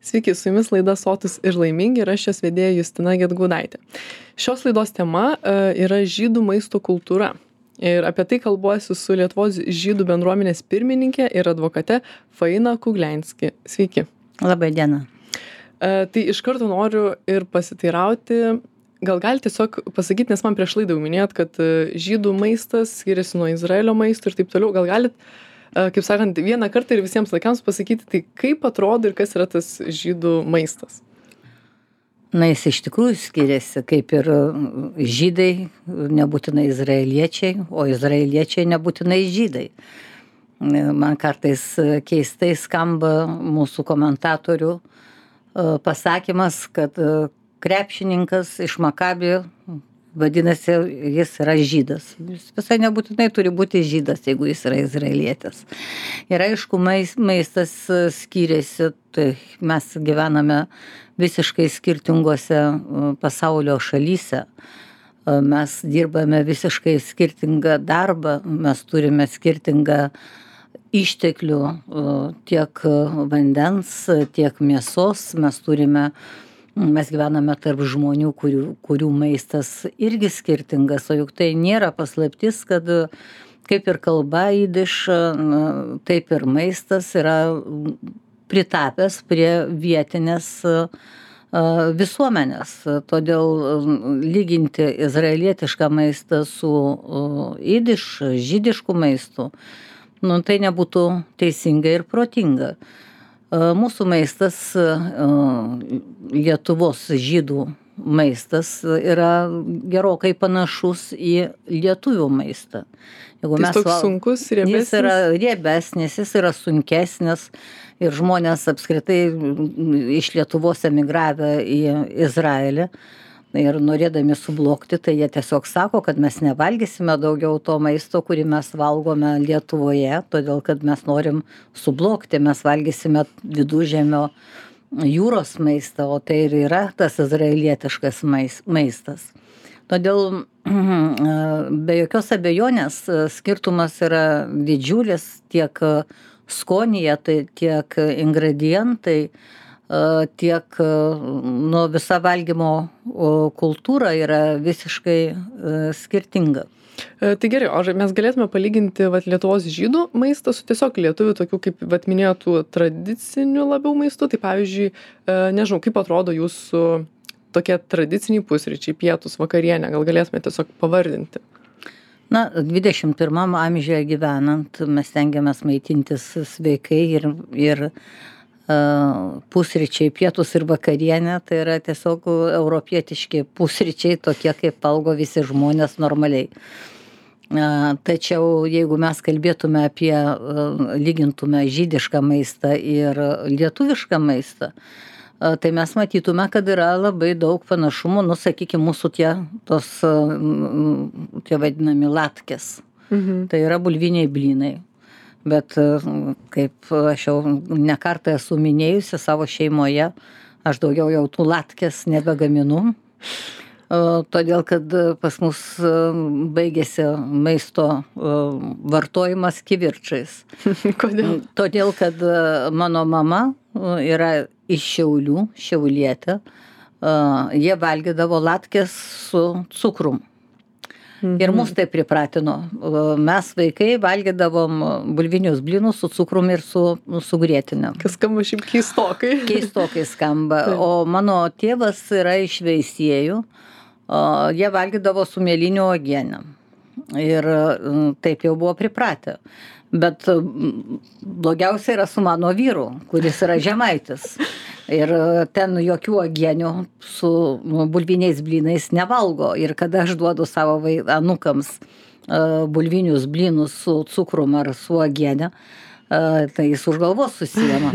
Sveiki, su jumis laida Sotus ir laimingi ir aš šios vedėja Justina Gedgaudaitė. Šios laidos tema yra žydų maisto kultūra. Ir apie tai kalbuosiu su Lietuvos žydų bendruomenės pirmininkė ir advokate Faina Kuglenski. Sveiki. Labai diena. Tai iš karto noriu ir pasiteirauti, gal galite tiesiog pasakyti, nes man prieš laidą jau minėjot, kad žydų maistas skiriasi nuo Izraelio maisto ir taip toliau. Gal galit, kaip sakant, vieną kartą ir visiems laikams pasakyti, tai kaip atrodo ir kas yra tas žydų maistas? Na, jis iš tikrųjų skiriasi, kaip ir žydai, nebūtinai izraeliečiai, o izraeliečiai nebūtinai žydai. Man kartais keistai skamba mūsų komentatorių pasakymas, kad krepšininkas iš Makabio, vadinasi, jis yra žydas. Jis visai nebūtinai turi būti žydas, jeigu jis yra izraelietis. Ir aišku, maistas skiriasi, tai mes gyvename visiškai skirtingose pasaulio šalyse. Mes dirbame visiškai skirtingą darbą, mes turime skirtingą išteklių, tiek vandens, tiek mėsos, mes gyvename tarp žmonių, kurių maistas irgi skirtingas, o juk tai nėra paslaptis, kad kaip ir kalba jidiš, taip ir maistas yra pritapęs prie vietinės visuomenės. Todėl lyginti izraelietišką maistą su žydišku maistu, tai nebūtų teisinga ir protinga. Mūsų maistas, Lietuvos žydų maistas, yra gerokai panašus į lietuvių maistą. Jis toks sunkus, riebesnis? Jis yra riebesnis, jis yra sunkesnis ir žmonės apskritai iš Lietuvos emigravę į Izraelį ir norėdami sublokti, tai jie tiesiog sako, kad mes nevalgysime daugiau to maisto, kurį mes valgome Lietuvoje, todėl kad mes norim sublokti, mes valgysime viduržemio jūros maistą, o tai ir yra tas izraelietiškas maistas. Todėl be jokios abejonės skirtumas yra didžiulis tiek skonyje, tai tiek ingredientai, tiek visa valgymo kultūra yra visiškai skirtinga. Tai gerai, o mes galėtume palyginti Lietuvos žydų maistą su tiesiog lietuvių tokių, kaip minėtų, tradicinių labiau maistų. Tai pavyzdžiui, nežinau, kaip atrodo jūsų tokie tradiciniai pusryčiai, pietus, vakarienė, gal galėtume tiesiog pavardinti? Na, 21 amžiuje gyvenant, mes stengiamės maitintis sveikai ir pusryčiai, pietus ir vakarienė, tai yra tiesiog europietiški pusryčiai, tokie kaip valgo visi žmonės normaliai. Tačiau jeigu mes kalbėtume lygintume žydišką maistą ir lietuvišką maistą, tai mes matytume, kad yra labai daug panašumų, sakykime, mūsų tie vadinami latkės. Tai yra bulviniai blynai. Bet kaip aš jau ne kartą esu minėjusi savo šeimoje, aš daugiau jau tų latkės nebegaminu, todėl kad pas mus baigėsi maisto vartojimas kivirčais. Kodėl? Todėl, kad mano mama yra iš Šiaulių, šiaulietė, jie valgydavo latkės su cukrum. Ir mus tai pripratino. Mes vaikai valgydavom bulvinius blynus su cukrum ir su grietinėm. Kas skamba šiaip keistokai. Keistokai skamba. O mano tėvas yra iš Veisiejų. Jie valgydavo su mėlynių uogienėm. Ir taip jau buvo pripratę. Bet blogiausia yra su mano vyru, kuris yra žemaitis. Ir ten jokių uogienių su bulviniais blynais nevalgo. Ir kada aš duodu savo anūkams bulvinius blynus su cukrum ar su uogiene, tai jis už galvos susiema.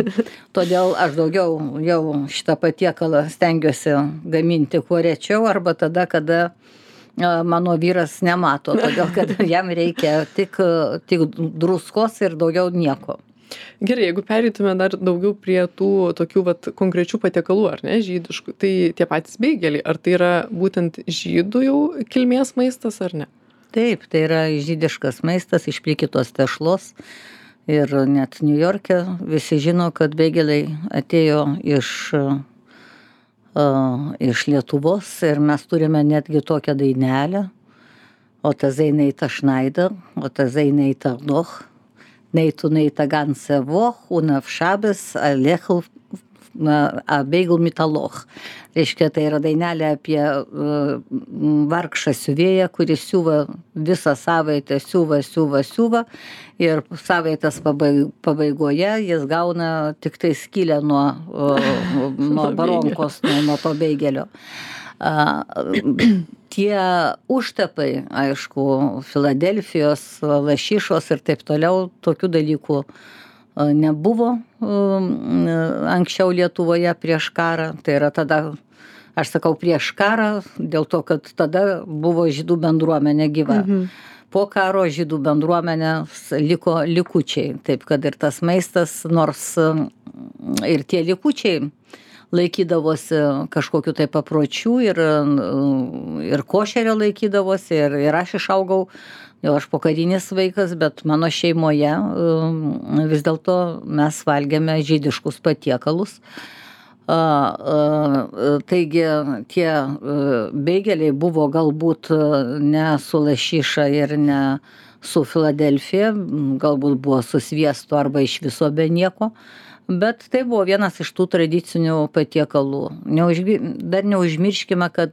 Todėl aš daugiau jau šitą patiekalą stengiuosi gaminti kuo rečiau arba tada, kada mano vyras nemato, todėl kad jam reikia tik druskos ir daugiau nieko. Gerai, jeigu pereitume dar daugiau prie tų tokių konkrečių patiekalų, ar ne, žydiškų, tai tie patys beigeliai, ar tai yra būtent žydų jau kilmės maistas, ar ne? Taip, tai yra žydiškas maistas iš plikytos tešlos. Ir net New York'e visi žino, kad beigeliai atėjo iš Lietuvos ir mes turime netgi tokią dainelę. O ta Zeinaita Schneider, o ta Zeinaita noch, neitu neita ganze Woch, und auf Schabes alechl beigel mitaloch. Reiškia, tai yra dainelė apie vargšą siuvėją, kuris siuva visą savaitę, siuva ir savaitės pabaigoje jis gauna tik tai skylę nuo baronkos, nuo to beigelio. Tie užtapai, aišku, Filadelfijos, lašišos ir taip toliau, tokių dalykų nebuvo anksčiau Lietuvoje prieš karą. Tai yra tada, aš sakau prieš karą, dėl to, kad tada buvo žydų bendruomenė gyva. Po karo žydų bendruomenės liko likučiai. Taip, kad ir tas maistas, nors ir tie likučiai laikydavosi kažkokiu tai papročių ir košerio laikydavosi ir aš išaugau, jau aš pokarinis vaikas, bet mano šeimoje vis dėlto mes valgėme žydiškus patiekalus. Taigi tie beigeliai buvo galbūt ne su lašiša ir ne su Filadelfija, galbūt buvo su sviestu arba iš viso be nieko. Bet tai buvo vienas iš tų tradicinių patiekalų. Dar neužmirškime, kad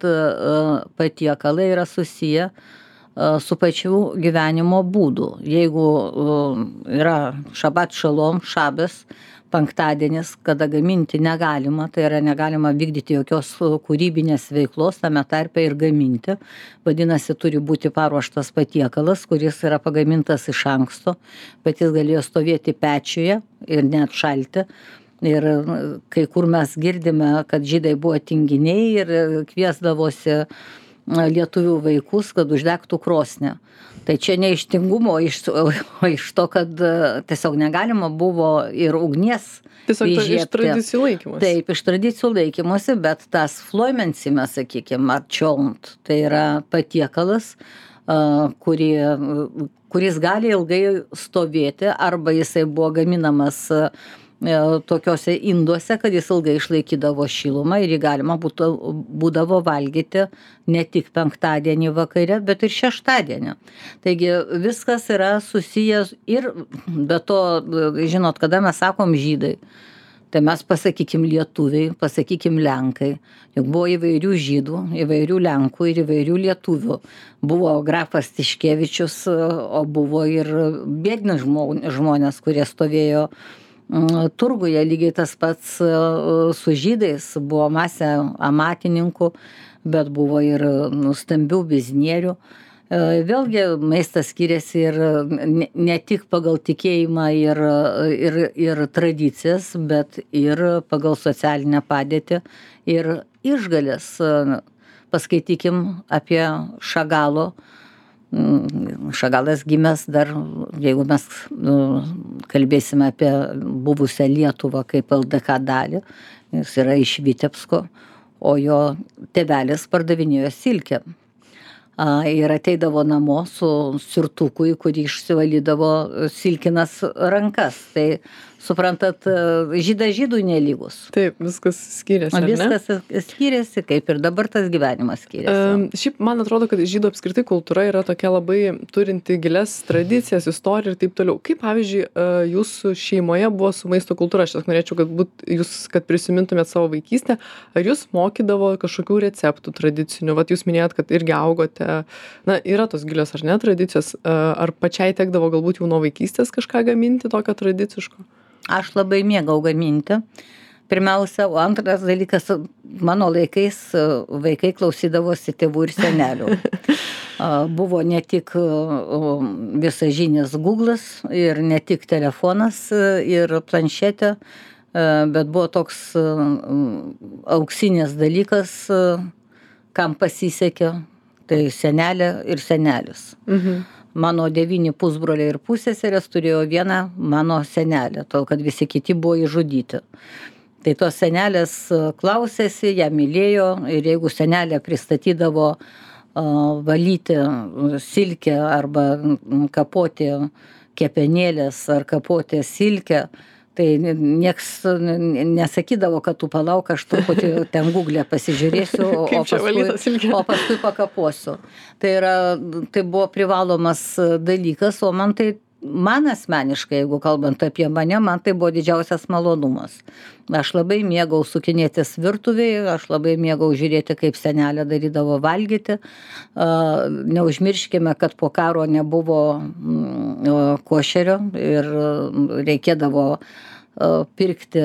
patiekalai yra susiję su pačiu gyvenimo būdu. Jeigu yra šabat šalom, šabas, penktadienis, kada gaminti negalima, tai yra negalima vykdyti jokios kūrybinės veiklos, tame tarpe ir gaminti. Vadinasi, turi būti paruoštas patiekalas, kuris yra pagamintas iš anksto, bet jis galėjo stovėti pečiuje ir net šalti. Ir kai kur mes girdime, kad žydai buvo tinginiai ir kviesdavosi lietuvių vaikus, kad uždegtų krosnį. Tai čia ne iš tingumo, o iš to, kad tiesiog negalima buvo ir ugnies tiesiog iš tradicijų laikymosi. Taip, iš tradicijų laikymosi, bet tas floimensime, sakykime, ar čiont, tai yra patiekalas, kuris gali ilgai stovėti, arba jisai buvo gaminamas tokiuose induose, kad jis ilgai išlaikydavo šilumą ir jį galima būdavo valgyti ne tik penktadienį vakare, bet ir šeštadienį. Taigi viskas yra susijęs ir be to, žinot, kada mes sakom žydai, tai mes pasakykim lietuviai, pasakykim lenkai. Juk buvo įvairių žydų, įvairių lenkų ir įvairių lietuvių. Buvo grafas Tiškevičius, o buvo ir biedni žmonės, kurie stovėjo turguje. Lygiai tas pats su žydais, buvo masė amatininkų, bet buvo ir stambių biznierių. Vėlgi maistas skiriasi ir ne tik pagal tikėjimą ir tradicijas, bet ir pagal socialinę padėtį ir išgales. Paskaitykim apie Šagalo. Šagalas gimęs dar, jeigu mes kalbėsime apie buvusią Lietuvą kaip LDK dalį, jis yra iš Vitebsko, o jo tėvelis pardavinėjo silkę. Ir ateidavo namo su sirtuku, į kurį išsivalydavo silkinas rankas. Tai suprantat, žydas žydui nelygus. Taip, viskas skiriasi, ar ne? Viskas skiriasi, kaip ir dabar tas gyvenimas skiriasi. Šiaip man atrodo, kad žydų apskritai kultūra yra tokia labai turinti gilias tradicijas, istoriją ir taip toliau. Kaip, pavyzdžiui, jūsų šeimoje buvo su maisto kultūra? Aš norėčiau, kad prisimintumėt savo vaikystę. Ar jūs mokydavo kažkokių receptų tradicinių? Vat jūs minėjot, kad irgi augote. Na, yra tos gilios, ar ne, tradicijos? Ar pačiai tekdavo galbūt jau nuo vaikystės kažką gaminti tokio tradiciško? Aš labai mėgau gaminti. Pirmiausia, o antras dalykas, mano laikais vaikai klausydavosi tėvų ir senelių. Buvo ne tik visažinis Google'as ir ne tik telefonas ir planšetė, bet buvo toks auksinės dalykas, kam pasisekė, tai senelė ir senelis. Mano 9 pusbroliai ir pusseserės turėjo vieną mano senelę, tol kad visi kiti buvo išžudyti. Tai tos senelės klausėsi, ją mylėjo ir jeigu senelė pristatydavo valyti silkę arba kapoti kepenėlės ar kapotės silkę, tai nieks nesakydavo, kad tu palauk, aš truputį ten Google pasižiūrėsiu, o paskui pakaposiu. Tai buvo privalomas dalykas, o man asmeniškai, jeigu kalbant apie mane, man tai buvo didžiausias malonumas. Aš labai mėgau sukinėtis virtuvėje, aš labai mėgau žiūrėti, kaip senelė darydavo valgyti. Neužmirškime, kad po karo nebuvo košerio ir reikėdavo pirkti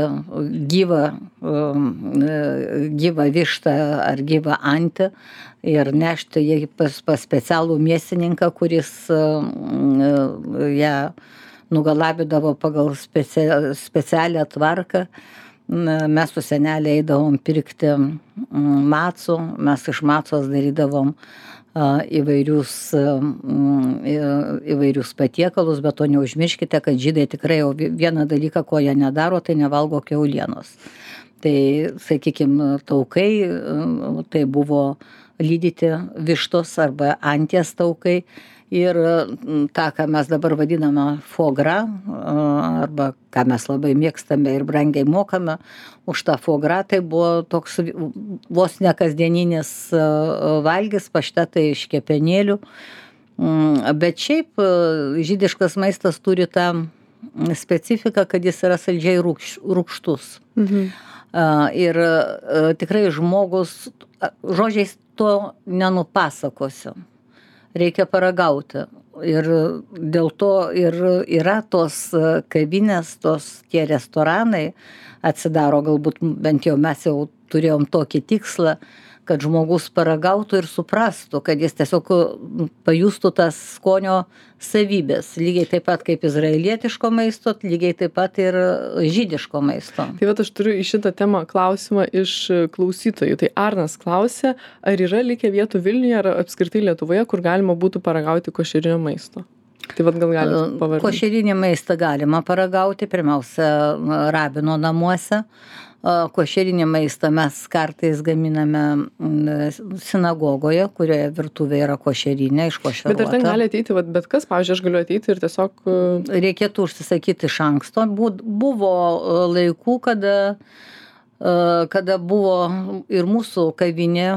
gyvą vištą ar gyvą antį ir nešti jį pas specialų mėsininką, kuris ją nugalabydavo pagal specialią tvarką. Mes su senelė eidavom pirkti macų, mes iš macos darydavom įvairius patiekalus, bet to neužmirškite, kad žydai tikrai jau vieną dalyką, ko jie nedaro, tai nevalgo kiaulienos. Tai, sakykime, taukai, tai buvo lydyti vištos arba anties taukai. Ir tą, ką mes dabar vadiname foie gras, arba ką mes labai mėgstame ir brangiai mokame už tą foie gras, tai buvo toks vos ne kasdieninis valgis, paštetai iš kepenėlių. Bet šiaip žydiškas maistas turi tą specifiką, kad jis yra saldžiai rūgštus. Ir tikrai žmogus, žodžiais to nenupasakosiu. Reikia paragauti. Ir dėl to ir yra tos kavinės, tie restoranai atsidaro, galbūt bent jau mes jau turėjom tokį tikslą, kad žmogus paragautų ir suprastų, kad jis tiesiog pajustų tas skonio savybės. Lygiai taip pat kaip izraelietiško maisto, lygiai taip pat ir žydiško maisto. Tai vat aš turiu į šitą temą klausimą iš klausytojų. Tai Arnas klausė, ar yra likę vietų Vilniuje ar apskritai Lietuvoje, kur galima būtų paragauti košerinio maisto? Tai vat gal galite pavardinti. Košerinį maistą galima paragauti, pirmiausia, rabino namuose. Košerinį maistą mes kartais gaminame sinagogoje, kurioje virtuvė yra košerinė, iškošeruota. Bet ar ten gali ateiti, bet kas, pavyzdžiui, aš galiu ateiti ir tiesiog... Reikėtų užsisakyti iš anksto. Buvo laikų, kada buvo ir mūsų kavinė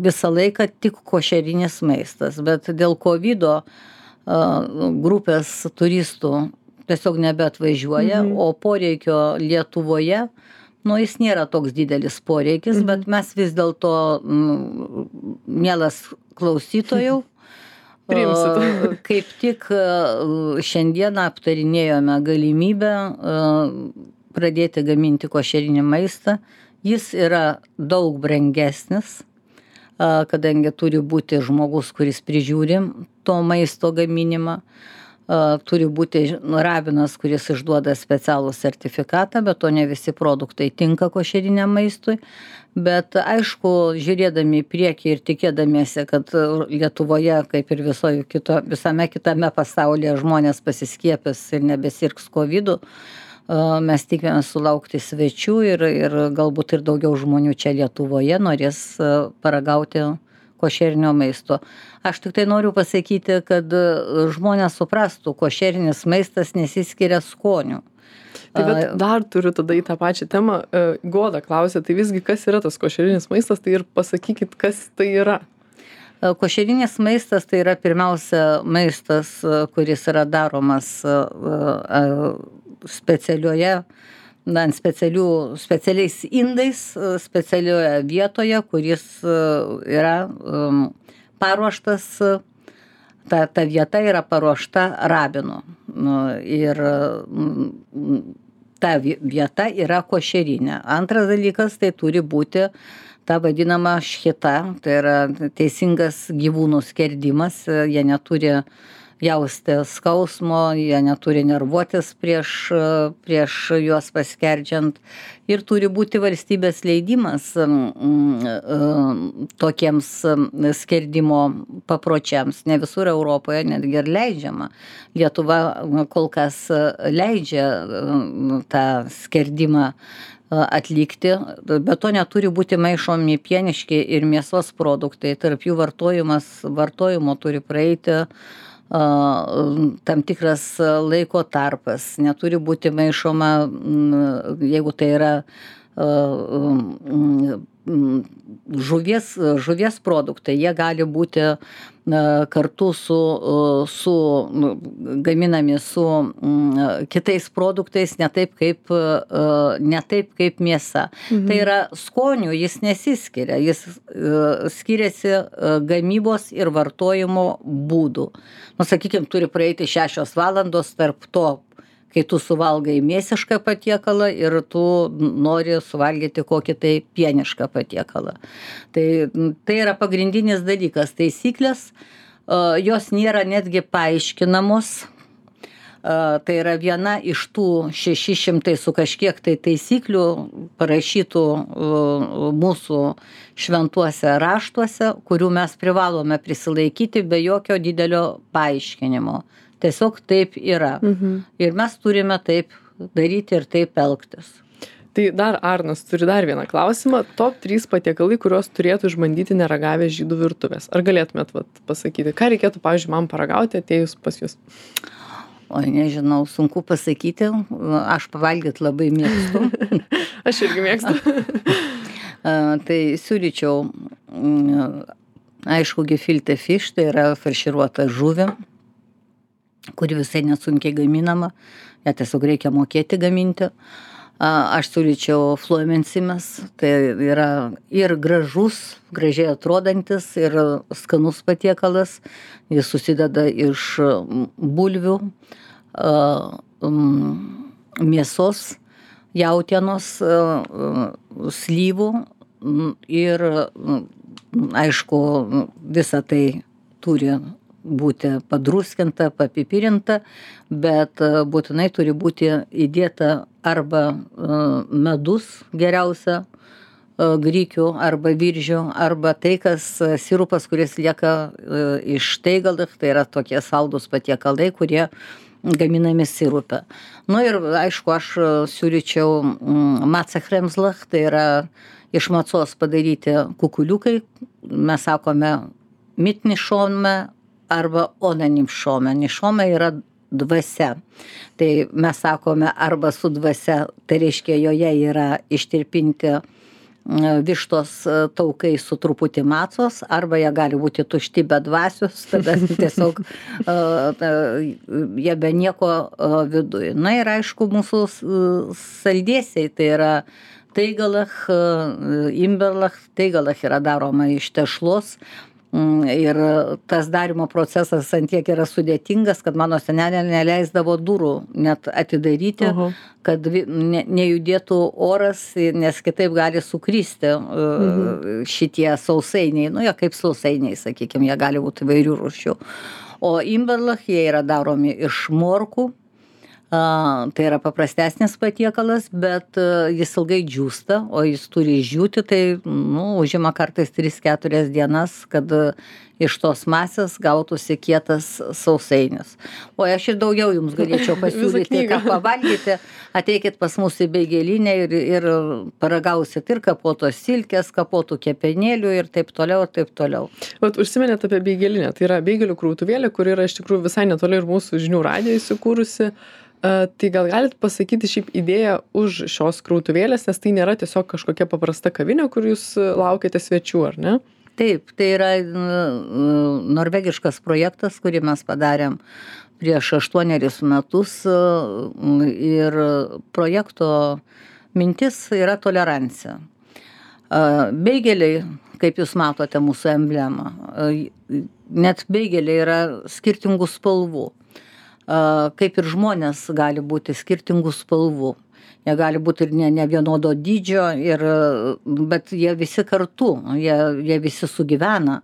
visą laiką tik košerinis maistas, bet dėl COVID grupės turistų tiesiog nebeatvažiuoja, o poreikio Lietuvoje, jis nėra toks didelis poreikis, bet mes vis dėlto, mielas klausytojų, kaip tik šiandieną aptarinėjome galimybę pradėti gaminti košerinį maistą. Jis yra daug brangesnis, kadangi turi būti žmogus, kuris prižiūri to maisto gaminimą. Turi būti rabinas, kuris išduoda specialų sertifikatą, bet to ne visi produktai tinka košeriniam maistui. Bet aišku, žiūrėdami į priekį ir tikėdamiesi, kad Lietuvoje, kaip ir visame kitame pasaulyje, žmonės pasiskiepys ir nebesirgs COVID-u, mes tikimės sulaukti svečių ir galbūt ir daugiau žmonių čia Lietuvoje norės paragauti košerinio maisto. Aš tik tai noriu pasakyti, kad žmonės suprastų, košerinis maistas nesiskiria skoniu. Tai bet dar turiu tada į tą pačią temą. Goda klausė, tai visgi kas yra tas košerinis maistas, tai ir pasakykit, kas tai yra. Košerinis maistas tai yra pirmiausia maistas, kuris yra daromas specialiais indais, specialioje vietoje, kuris yra paruoštas, ta vieta yra paruošta rabino. Ir ta vieta yra košerinė. Antras dalykas, tai turi būti ta vadinama šchita, tai yra teisingas gyvūnų skerdimas, jie neturi jausti skausmo, jie neturi nervuotis prieš juos paskerdžiant ir turi būti valstybės leidimas tokiems skerdimo papročiams. Ne visur Europoje netgi ir leidžiama. Lietuva kol kas leidžia tą skerdimą atlikti, bet to neturi būti maišomi pieniški ir mėsos produktai. Tarp jų vartojimo turi praeiti tam tikras laiko tarpas, neturi būti maišoma, jeigu tai yra žuvies produktai, jie gali būti kartu su gaminami su kitais produktais, ne taip kaip mėsa. Tai yra skonių, jis nesiskiria, jis skiriasi gamybos ir vartojimo būdų. Sakykime, turi praeiti 6 valandos tarp to, kai tu suvalgai mėsišką patiekalą ir tu nori suvalgyti kokį tai pienišką patiekalą. Tai yra pagrindinis dalykas. Taisyklės, jos nėra netgi paaiškinamos. Tai yra viena iš tų 600 su kažkiek tai taisyklių parašytų mūsų šventuose raštuose, kurių mes privalome prisilaikyti be jokio didelio paaiškinimo. Tiesiog taip yra. Ir mes turime taip daryti ir taip elgtis. Tai dar Arnas turi dar vieną klausimą. Top 3 patiekalai, kuriuos turėtų išbandyti neragavę žydų virtuvės. Ar galėtumėt pasakyti, ką reikėtų, pavyzdžiui, man paragauti atėjus pas jūs? Oi, nežinau, sunku pasakyti. Aš pavalgyt labai mėgstu. Aš irgi mėgstu. Tai siūlyčiau, aišku, gefilte fish, tai yra farširuota žuvė, kuri visai nesunkiai gaminama, ją tiesiog reikia mokėti gaminti. Aš siūlyčiau fluomensimes, tai yra ir gražiai atrodantis, ir skanus patiekalas. Jis susideda iš bulvių, mėsos, jautienos, slyvų ir, aišku, visa tai turi būti padruskinta, papipirinta, bet būtinai turi būti įdėta arba medus geriausia, grikių arba viržių, arba tai, kas sirupas, kuris lieka iš teigalach, tai yra tokie saldūs patiekalai, kurie gaminami sirupe. Ir aišku, aš siūlyčiau macachremslach, tai yra iš macos padaryti kukuliukai, mes sakome mitnišome, arba onanimšome. Nišome yra dvasia. Tai mes sakome arba su dvasia, tai reiškia joje yra ištirpinti vištos taukai su truputį macos, arba jie gali būti tušti be dvasios, tada tiesiog jie be nieko viduje. Ir aišku, mūsų saldėsiai, tai yra teigalach, imberlach, teigalach yra daroma iš tešlos. Ir tas darimo procesas ant tiek yra sudėtingas, kad mano senelė neleisdavo durų net atidaryti, kad nejudėtų oras, nes kitaip gali sukristi šitie sausainiai. Jie kaip sausainiai, sakykime, jie gali būti įvairių rūšių. O imberlach, jie yra daromi iš morkų. Tai yra paprastesnis patiekalas, bet jis ilgai džiūsta, o jis turi išdžiūti, tai užima kartais 3-4 dienas, kad iš tos masės gautųsi kietas sausainis. O aš ir daugiau jums galėčiau pasiūlyti, ką pavalgyti. Ateikit pas mus į beigelinę ir paragausit ir kapotos silkės, kapotų kepenėlių ir taip toliau, ir taip toliau. Užsiminėt apie beigelinę. Tai yra beigelių krautuvėlė, kuri yra iš tikrųjų visai netoli ir mūsų žinių radijo įsikūrusi. Tai gal galit pasakyti šiaip idėją už šios krautuvėlės, nes tai nėra tiesiog kažkokia paprasta kavinė, kur jūs laukiate svečių, ar ne? Taip, tai yra norvegiškas projektas, kurį mes padarėm prieš 8 metus ir projekto mintis yra tolerancija. Beigeliai, kaip jūs matote mūsų emblemą, net beigeliai yra skirtingų spalvų. Kaip ir žmonės gali būti skirtingų spalvų. Jie gali būti ir ne vienodo dydžio, bet jie visi kartu, jie visi sugyvena.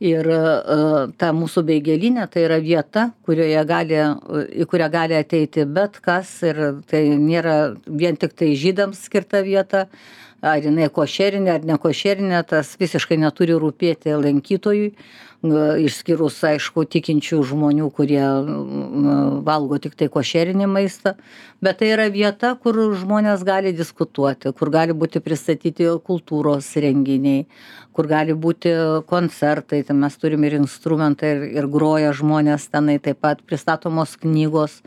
Ir ta mūsų beigelinė tai yra vieta, į kurią gali ateiti bet kas, ir tai nėra vien tik tai žydams skirta vieta. ar jinai košerinė ar nekošerinė, tas visiškai neturi rūpėti lankytojui, išskyrus, aišku, tikinčių žmonių, kurie valgo tik tai košerinį maistą. Bet tai yra vieta, kur žmonės gali diskutuoti, kur gali būti pristatyti kultūros renginiai, kur gali būti koncertai, tai mes turim ir instrumentai, ir groja žmonės tenai, taip pat pristatomos knygos.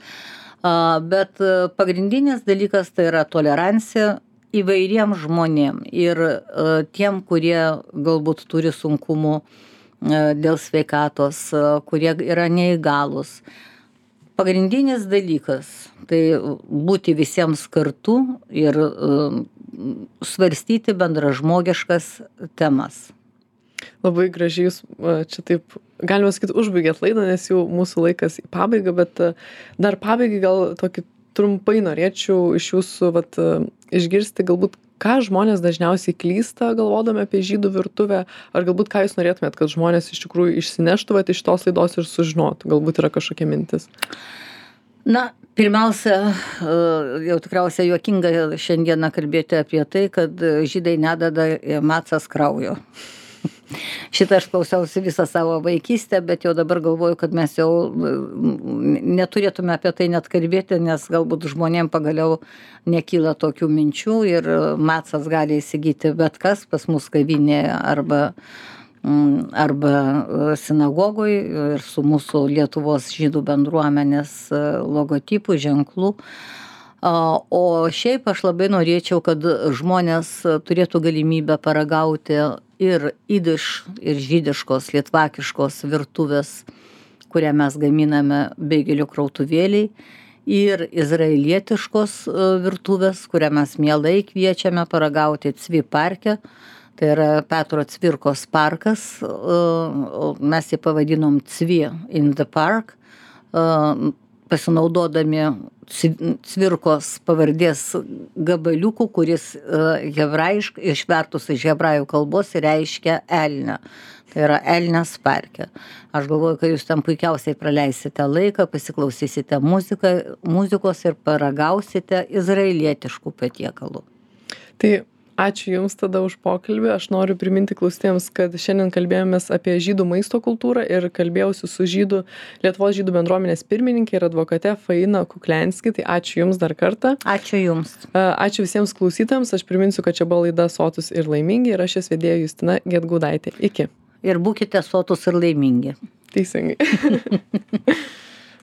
Bet pagrindinis dalykas tai yra tolerancija įvairiem žmonėm ir tiem, kurie galbūt turi sunkumų dėl sveikatos, kurie yra neįgalūs. Pagrindinis dalykas tai būti visiems kartu ir svarstyti bendražmogiškas temas. Labai gražiai jūs čia taip, galima sakyti, užbaigėt laidą, nes jau mūsų laikas į pabaigą, bet dar pabaigai gal tokį trumpai norėčiau iš jūsų išgirsti galbūt, ką žmonės dažniausiai klysta galvodami apie žydų virtuvę, ar galbūt ką jūs norėtumėt, kad žmonės iš tikrųjų išsineštų iš tos laidos ir sužinotų, galbūt yra kažkokia mintis. Na, pirmiausia, jau tikriausiai juokinga šiandieną kalbėti apie tai, kad žydai nededa į macas kraujo. Šitą aš klausiausi visą savo vaikystę, bet jau dabar galvoju, kad mes jau neturėtume apie tai net kalbėti, nes galbūt žmonėm pagaliau nekyla tokių minčių ir macas gali įsigyti bet kas pas mus kavinėje arba sinagogoj ir su mūsų Lietuvos žydų bendruomenės logotipų, ženklų. O šiaip aš labai norėčiau, kad žmonės turėtų galimybę paragauti ir idiš, ir žydiškos, lietvakiškos virtuvės, kurią mes gaminame beigelių krautuvėliai, ir izraelietiškos virtuvės, kurią mes mielai kviečiame paragauti Cvi parke. Tai yra Petro Cvirkos parkas, mes jį pavadinom Cvi in the park, pasinaudodami Cvirkos pavardės gabaliukų, kuris išvertus iš hebrajų kalbos reiškia elnią. Tai yra Elnias parke. Aš galvoju, kad jūs ten puikiausiai praleisite laiką, pasiklausysite muzikos ir paragausite izraelietiškų patiekalų. Tai ačiū Jums tada už pokalbį. Aš noriu priminti klausytėjams, kad šiandien kalbėjomės apie žydų maisto kultūrą ir kalbėjausi su Lietuvos žydų bendruomenės pirmininkė ir advokate Faina Kuklianski. Tai ačiū Jums dar kartą. Ačiū Jums. Ačiū visiems klausytams. Aš priminsiu, kad čia buvo laida Sotūs ir laimingi ir aš jas vedėja Justina Gedgaudaitė. Iki. Ir būkite sotūs ir laimingi. Teisingai.